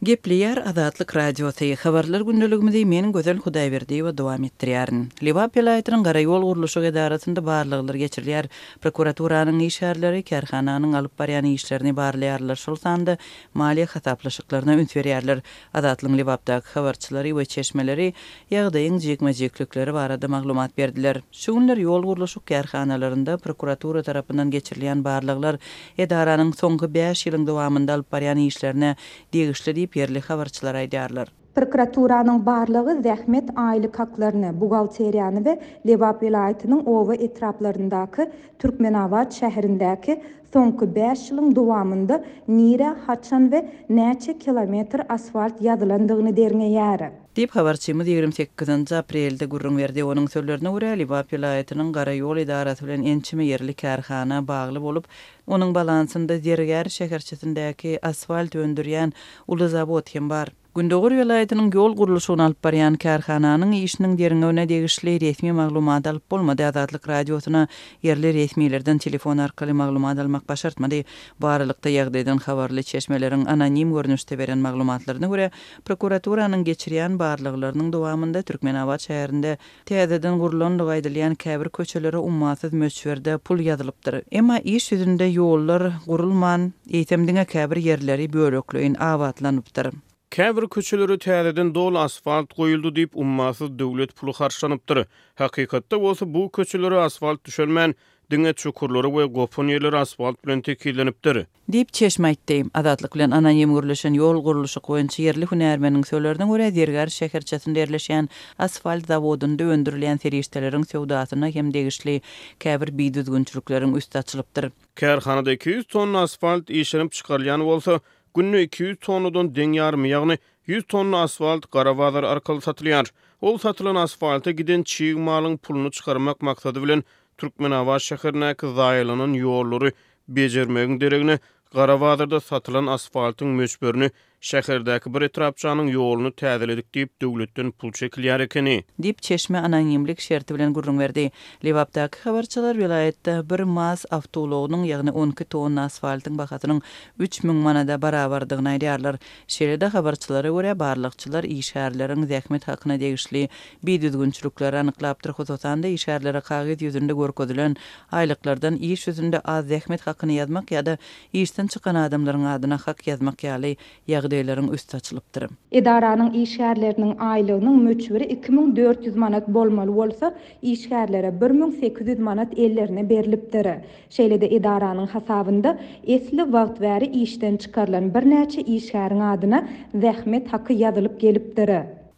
Gepleýär Azatlyk Radiosy, Habarlar gündeligimizi men Gözel Hudaýberdiýewa dowam etdirýärin. Lebap welaýatynyň Garaýol gurluşyk edarasynda barlaglar geçirilýär. Prokuraturanyň işgärleri kärhananyň alyp barýan işlerini barlaýarlar, şol sanda maliýe hasaplaşyklaryna üns berýärler. Azatlygyň Lebapdaky habarçylary we çeşmeleri ýagdaýyň jikme-jiklikleri barada maglumat berdiler. Şu günler ýol gurluşyk kärhanalarynda prokuratura tarapyndan geçirilýän barlaglar edaranyň soňky bäş ýylyň dowamynda alyp barýan işlerine degişli diýip, ýerli habarçylar aýdýarlar. Prokuraturanyň barlagy zähmet aýlyk haklaryny, buhgalteriýany we Lebap welaýatynyň oba-etraplaryndaky, Türkmenabat şäherindäki soňky bäş ýylyň dowamynda nirä, haçan we näçe kilometr asfalt ýazylandygyny derňeýär. Diýip, habarçymyz 28 nji aprelde gürrüň berdi. Onuň sözlerine görä, Lebap welaýatynyň Garaýol edarasy bilen ençeme ýerli kärhana bagly bolup, onuň balansynda Zergär şäherçesindäki asfalt öndürýän uly zawod hem bar. Gündogar welaýatynyň ýol gurluşygyny alyp barýan kärhananyň işiniň derňewine degişli resmi maglumat alyp bolmady. Azatlyk Radiosyna ýerli resmilerden telefon arkaly maglumat almak başartmady. Bu aralykda, ýagdaýdan habarly çeşmeleriň anonim görnüşde beren maglumatlaryna görä, Prokuraturanyň geçirýän barlaglarynyň dowamynda Türkmenabat şäherinde täzeden gurlandygy aýdylýan käbir köçelere ummasyz möçberde pul ýazylypdyr. Emma iş ýüzünde ýollar gurulman, eýsem diňe käbir ýerleri bölekleýin abatlanypdyr. Käbir köçelere täzeden doly asfalt goýuldy diýip, ummasyz döwlet puly harçlanypdyr. Hakykatda bolsa bu köçelere asfalt düşelmän, diňe çukurlary we gopan ýerleri asfalt bilen tekizlenipdir. Diýip, çeşme aýtdy. Azatlyk bilen anonim gürleşen ýol gurluşyk boýunça ýerli hünärmeniň sözlerine görä, Zergär şäherçesinde ýerleşýän asfalt zawodynda öndürilýän serişdeleriň söwdasyna hem degişli käbir bidüzgünçilikleriň üsti açylypdyr. Kärhanada 200 tonna asfalt işlenip çykarylýan bolsa, günde 200 tonnadan deň ýarymy, ýagny 100 tonna asfalt gara bazar arkaly satylýar. Ol satylan asfalta giden çig malyň puluny çykarmak maksady bilen Türkmenabat şäherindäki zaýalanan ýollary bejermegiň deregine, gara bazarda satylan asfaltyň möçberini şäherdäki bir etrapçanyň ýoluny täzeledik diýip, döwletden pul çekilýär ekeni. Diýip, çeşme anonimlik şerti bilen gürrüň berdi. Lebapdaky habarçylar welaýatda bir maz awtoulagynyň, ýagny 12 tonna asfaltyň bahasynyň 3000 manada barabardygyny aýdýarlar. Şeýle-de, habarçylara görä, barlagçylar işgärleriň zähmet hakyna degişli bidüzgünçilikleri anyklapdyr, hususan-da, işgärlere kagyz ýüzünde görkezilen aýlyklardan iş ýüzünde az zähmet hakyny ýazmak ýa-da işden çykan adamlaryň adyna hak ýazmak ýaly ýagdaýlaryň üsti açylypdyr. Edaranyň işgärleriniň aýlygynyň möçberi 2400 manat bolmaly bolsa, işgärlere 1800 manat ellerine berlipdir. Şeýle-de edaranyň hasabynda esli wagt bäri işden çykarylan birnäçe işgäriň adyna zähmet haky ýazylyp gelipdir.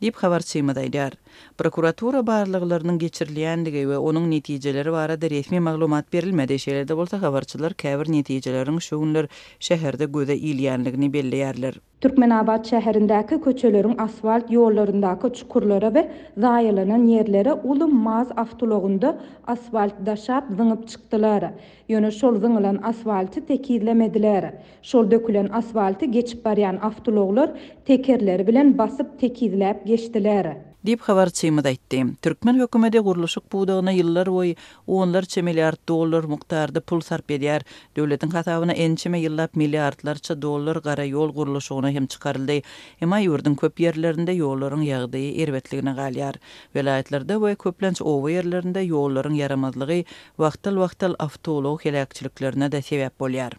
Diýip, habarçymyz aýdýar. Prokuratura barlaglarynyň geçirilýändigi we onuň netijeleri barada resmi maglumat berilmedi. Şeýle-de bolsa, habarçylar käbir netijeleriň şu günler şäherde göze ilýänligini belleýärler. Türkmenabat şäherindäki köçeleriň asfalt ýollaryndaky çukurlara we zaýalanan ýerlere uly maz awtoulagynda asfalt daşap zyňyp çykdylar. Ýöne şol zyňylan asfalty tekizlemediler. Şol dökülen asfalty geçip barýan awtoulaglar tekerleri bilen basyp tekizläp geçdiler. Diýip, habarçymyz aýtdy. Türkmen hökümeti gurluşyk pudagyna ýyllarboýy onlarça milliard dollar mukdarda pul sarp edýär. Döwletiň hasabyna ençeme ýyllap milliardlarça dollar gara ýol gurluşygyna hem çykaryldy. Emma ýurduň köp ýerlerinde ýollaryň ýagdaýy erbetligine galýar. Welaýatlarda we köplenç oba ýerlerinde ýollaryň ýaramazlygy wagtal-wagtal awtoulag heläkçiliklerine-de sebäp bolýar.